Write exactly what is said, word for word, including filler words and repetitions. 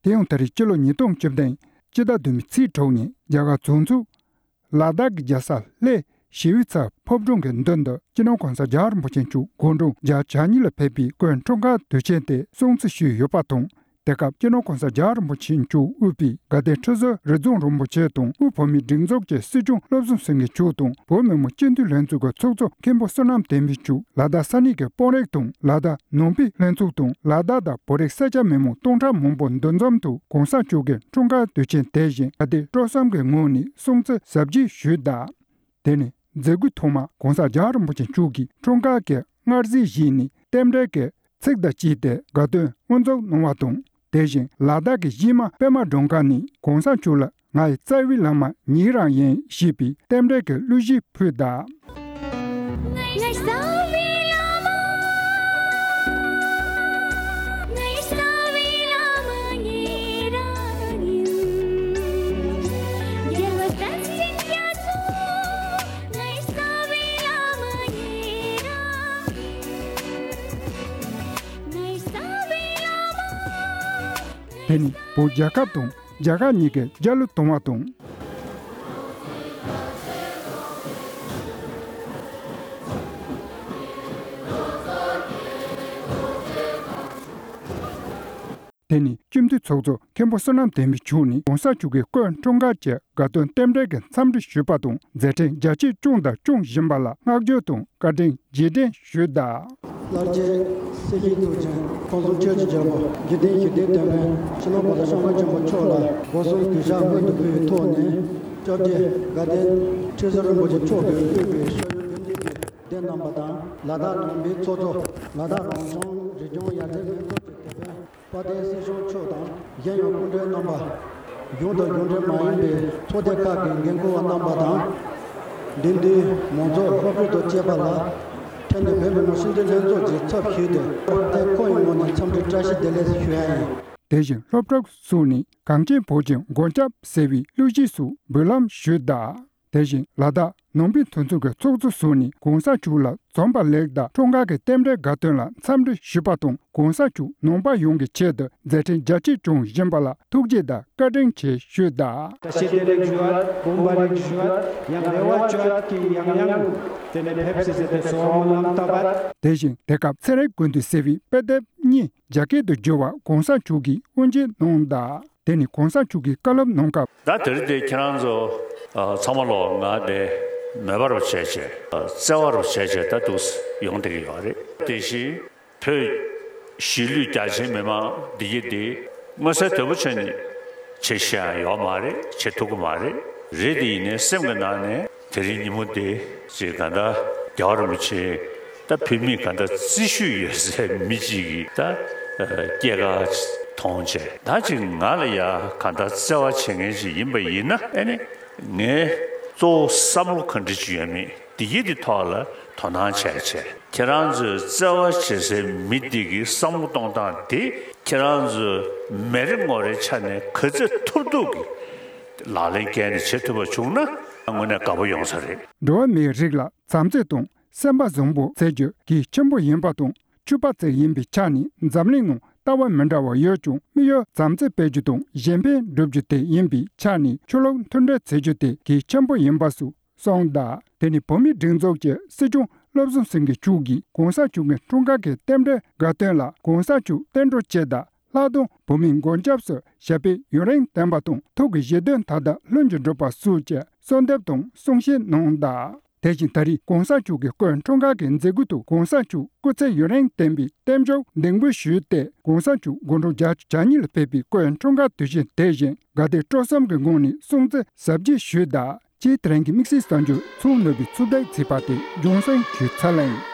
དེ་ཡང་ད་རེས་སྤྱི་ལོ་ཉིས་སྟོང་བཅུ་བདུན་ཕྱི་ཟླ་བདུན་པའི་ཚེས་དྲུག་ཉིན་རྒྱ་གར་བྱང་ཕྱོགས་ལ་དྭགས་ཀྱི་རྒྱལ་ས་ལྷོའི་ཞི་བའི་ཚལ་ཕོ་བྲང་གི་མདུན་དུ་སྤྱི་ནོར་༸གོང་ས་༸རྒྱལ་བ་རིན་པོ་ཆེ་མཆོག་དགུང་གྲངས་བརྒྱད་ཅུ་གྱ་གཉིས་ལ་ཕེབས་པའི་སྐུའི་འཁྲུངས་སྐར་དུས་ཆེན་དེ་སྲུང་བརྩི་ཞུས་ཡོད་པ་དང་། དེ་སྐབས་སྤྱི་ནོར་༸གོང་ས་༸རྒྱལ་བ་རིན་པོ་ཆེ་མཆོག་དབུས་པའི་དགའ་ལྡན་ཁྲི་ཟུར་རི་རྫོང་རིན་པོ་ཆེ་དང་དབུས་བོད་མིའི་སྒྲིག་འཛུགས་ཀྱི་སྲིད་སྐྱོང་བློ་བཟང་སེང་གེ་མཆོག་དང་བོད་མི་མང་སྤྱི་འཐུས་ལྷན་ཚོགས་ཀྱི་ཚོགས་གཙོ་མཁན་པོ་བསོད་ནམས་བསྟན་འཕེལ་མཆོག་ལ་དྭགས་ས་གནས་ཀྱི་དཔོན་རིགས་དང་ལ་དྭགས་ནང་པའི་ལྷན་ཚོགས་དང་ལ་དྭགས་དང་བོད་རིགས་སེར་སྐྱ་མི་མང་སྟོང་ཕྲག་མང་པོ་འདུ་འཛོམས་ཐོག་༸གོང་ས་མཆོག་གི་འཁྲུངས་སྐར་དུས་ཆེན་དེ་བཞིན་དགའ་དད་སྤྲོ་གསུམ་གྱི་ངང་ནས་སྲུང་བརྩི་གཟབ་རྒྱས་ཞུས་གདའ། དེ་ནས་མཛད་སྒོའི་ཐོག་མར་༸གོང་ས་༸རྒྱལ་བ་རིན་པོ་ཆེ་མཆོག་གིས་འཁྲུངས་སྐར་གྱི་མངར་ཟས་བཞེས་ནས་རྟེན་འབྲེལ་གྱི་ཚིག་དང་བཅས་ཏེ་དགའ་སྟོན་དབུ་འཛུགས་གནང་བ་དང་། དེ་བཞིན་ལ་དྭགས་ཀྱི་གཞས་མ་པད་མ་སྒྲོལ་དཀར་ནས་༸གོང་ས་མཆོག་ལ་ང་ཡི་རྩ་བའི་བླ་མ་ཉིད་རང་ཡིན་ཞེས་པའི་རྟེན་འབྲེལ་གྱི་གླུ་གཞས་ཕུལ་གདའ། དེ་ནི་བོད་རྒྱལ་ཁབ་དང་རྒྱ་གར་གཉིས་ཀའི་རྒྱལ་གླུ་གཏོང་བ་དང་། དེ་ནི་སྤྱི་འཐུས་ཚོགས་གཙོ་མཁན་པོ་བསོད་ནམས་བསྟན་འཕེལ་མཆོག་ནས་༸གོང་ས་མཆོག་གི་སྐུའི་འཁྲུངས་སྐར་གྱི་དགའ་སྟོན་རྟེན་འབྲེལ་གྱི་འཚམས་འདྲི་ཞུས་པ་དང་མཛད་འཕྲིན་རྒྱ་ཆེ་བསྐྱངས་དང་སྐྱོང་བཞིན་པ་ལ་བསྔགས་བརྗོད་དང་བཀའ་དྲིན་རྗེས་དྲན་ཞུས་གདའ། ལྷར་བཅས་སྲིད་ཞིའི་གཙུག་ཆེན་ཁམས་གསུམ་ཆོས་ཀྱི་རྒྱལ་པོ་འཇིག་རྟེན་ཞི་བདེའི་དོན་ཕན་སྤྱི་ནོར་༸གོང་ས་༸སྐྱབས་མགོན་ཆེན་པོ་མཆོག་ལ་སྒོ་གསུམ་གུས་ཕྱག་སྔོན་དུ་ཕུལ་བའི་ཐོག་ནས་སྐྱབས་རྗེ་དགའ་ལྡན་ཁྲི་ཟུར་རིན་པོ་ཆེ་མཆོག་གིས་དབུས་པའི་ཤེས་ཡོན་དགེ་འདུན་གྱི་སྡེ་རྣམ་པ་དང་ལ་དྭགས་ནང་པའི་ཚོགས་གཙོ་ལ་དྭགས་རང་སྐྱོང་རི་ལྗོངས་ཡར་རྒྱས་ལྷན་ཚོགས་ཀྱི་དེད་དཔོན། དཔལ་ལྡན་སྲིད་སྐྱོང་མཆོག་དང་གཞན་ཡང་སྐུ་མགྲོན་རྣམ་པ། གཞུང་དང་གཞུང་འབྲེལ་མ་ཡིན་པའི་ཚོགས་སྡེ་ཁག་གི་འགན་འཁུར་བ་རྣམ་པ་དང་། འདི་འདུའི་མང་ཚོགས་སློབ་ཕྲུག་དང་བཅས་པ་ལ། ཕྲན་ནས་བོད་མི་མང་སྤྱི་འཐུས་ལྷན་ཚོགས་ཀྱི་ཚབ་ཞུས་ཏེ་སློབ་སྡེ་ཁག་གི་ངོས་ནས་འཚམས་འདྲི་བཀྲ་ཤིས་བདེ་ལེགས་ཞུ་ཡ་ཡིན། དེ་བཞིན་སློབ་ཕྲུག་ཚོ་ནས་གངས་ཅན་བོད་ཀྱི་མགོན་སྐྱབས་ཟེར་བའི་གླུ་གཞས་སོགས་འབུལ་ལམ་ཞུས་གདའ། དེ་བཞིན་ལ་དྭགས་ནང་པའི་མཐུན་ཚོགས་ཀྱི་ཚོགས་གཙོ་སོགས་ནས་༸གོང་ས་མཆོག་ལ་འཛོམས་པ་ལེགས་དང་འཁྲུངས་སྐར་གྱི་རྟེན་འབྲེལ་དགའ་སྟོན་ལ་འཚམས་འདྲི་ཞུས་པ་དང་༸གོང་ས་མཆོག་ནང་པ་ཡོངས་ཀྱི་ཆེད་དུ་མཛད་འཕྲིན་རྒྱ་ཆེ་སྐྱོང་བཞིན་པ་ལ་ཐུགས་རྗེ་དང་བཀའ་དྲིན་ཆེ་ཞུས་གདའ། བཀྲ་ཤིས་བདེ་ལེགས་ཞུ་བ་དགོངས་པ་རེ་ཞུ་བ་ཡང་རེ་བ་བཅོལ་གྱི་ཡང་ཡང་དེ་ནས་ཕེབས་སི་ཟེར་ཏེ་གསོལ་བ་སྨོན་ལམ་བཏབ་པ། དེ་བཞིན་དེ་སྐབས་ཚེ་རིང་ཀུན་འདུས་ཟེར་བའི་དཔེ་དེབ་གཉིས་རྒྱ་སྐད་དུ་བསྒྱུར་བ་༸གོང་ས་མཆོག་གིས་དབུ་འབྱེད་གནང་གདའ། དེ་ནི་༸གོང་ས་མཆོག་གིས་བཀའ་སློབ་གནང་སྐབས། ད་དེ་རིང་འདི་ཁྱེད་རང་ཚོ་ཨ་ཚང་མ་ལོ་ང་འདི་མོས་པ་རུ་བྱས་བྱས་ཨ་བརྩེ་བ་རུ་བྱས་བྱས་ད་འདུག་ཡོང་བསྡད་ཀྱི་ཡོད་རེད། དེ་བཞིན་བོད་གཞིས་ལུས་རྒྱ་ཆེའི་མི་མང་འདི་གི་འདི་མངོན་གསལ་དོད་པོ་བྱས་ནས་བྱེད་ཤེས་ཡང་ཡོད་མ་རེད། བྱེད་ཐུབ་ཀྱི་མ་རེད། རེད་དེ་ཡིན་ནའི་སེམས་ཀྱི་ནང་ནས་དེ་རིང་ཉིན་མོ་འདི་ཅིག་ག་འདྲ་རྒྱལ་བ་རིན་པོ་ཆེ། ད་བོད་མིས་གང་ལྟར་བརྩི་ཤུལ་ཡོད་སའི་མི་གཅིག་གིས་ད་སྐྱེས་སྐར་མཐོང་བྱས་ད་ཅིག་ང་ལ་ཡ་གང་ལྟར་བརྩེ་བ་བྱེད་མཁན་ཞིག་ཡིན་པ་ཡིན་ན་ཨེ་ནི་ངས་གཙོ་བོ་བསམ་བློ་ག་འདྲ་ཅིག་ཡོད་མེད་འདི་གི་འདི་ཐོག་ལ་དོ་སྣང་བྱས་བྱས་ཁྱེད་རང་ཚོའི་བརྩེ་བ་བྱེད་སའི་མི་འདི་གི་བསམ་བློ་གཏོང་སྟངས་དེ་ཁྱེད་རང་ཚོས་མེ་རེ་ངོ་རེའི་ཆ་ནས་ག་ཚོད་ཐུབ་ཐུབ་ཀྱིས་ལག་ལེན་བཀལ་ནས་བྱེད་ཐུབ་པ་བྱུང་ན་དངོས་གནས་དགའ་པོ་ཡོང་ས་རེད། འགྲོ་བ་མིའི་རིགས་ལ་བྱམས་བརྩེ་དང་། སེམས་པ་བཟང་པོ་བྱེད་རྒྱུ་གལ་ཆེན་པོ་ཡིན་པ་དང་། ཆོས་པ་ཚོ་ཡིན་པའི་ཆ་ནས་འཛམ་གླིང་ནང་ལྟ་བ་མི་འདྲ་བ་ཡོད་ཀྱང་དམིགས་ཡུལ་བྱམས་བརྩེ་སྤེལ་རྒྱུ་དང་གཞན་ཕན་སྒྲུབ་རྒྱུ་དེ་ཡིན་པའི་ཆ་ནས་ཆོས་ལུགས་མཐུན་སྒྲིལ་བྱེད་རྒྱུ་དེ་གལ་ཆེན་པོ་ཡིན་པ་སོགས་གསུངས་གདའ། དེ་ནི་བོད་མིའི་སྒྲིག་འཛུགས་ཀྱི་སྲིད་སྐྱོང་བློ་བཟང་སེང་གེ་མཆོག་གིས་༸གོང་ས་མཆོག་གི་འཁྲུངས་སྐར་གྱི་རྟེན་འབྲེལ་དགའ་སྟོན་ལ་༸གོང་ས་མཆོག་བསྟན་འགྲོ་བཅས་དང་ལྷག་དོན་བོད་མིའི་མགོན་སྐྱབས་སུ་ཞབས་པད་ཡུན་རིང་བརྟན་པ་དང་ཐུགས་ཀྱི་བཞེད་དོན་མཐའ་དག་ལྷུན་གྱིས་འགྲུབ་པ་སོགས་ཀྱི་གསོལ་འདེབས་དང་གསུང་བཤད་གནང་གདའ། དེ་བཞིན་ད་རེས་༸གོང་ས་མཆོག་གི་སྐུའི་འཁྲུངས་སྐར་གྱི་མཛད་སྒོའི་ཐོག་༸གོང་ས་མཆོག་སྐུ་ཚེ་ཡུན་རིང་བརྟན་པའི་རྟེན་འབྱུང་གདེང་འབུལ་ཞུས་ཏེ་༸གོང་ས་མཆོག་དགུང་གྲངས་བརྒྱད་ཅུ་གྱ་གཉིས་ལ་ཕེབས་པའི་སྐུའི་འཁྲུངས་སྐར་དུས་ཆེན་དེ་བཞིན་དགའ་དད་སྤྲོ་གསུམ་གྱི་ངང་ནས་སྲུང་བརྩི་གཟབ་རྒྱས་ཞུས་གདའ། ཅེས་དེ་རིང་གི་དམིགས་བསལ་གསར་འགྱུར་ཚོགས་ནོར་བུའི་ཚུལ་དེ་ཚིག་པ་དེ་ལྗོན་སེང་ཞུས་ཚར་ལེ་ཡིན།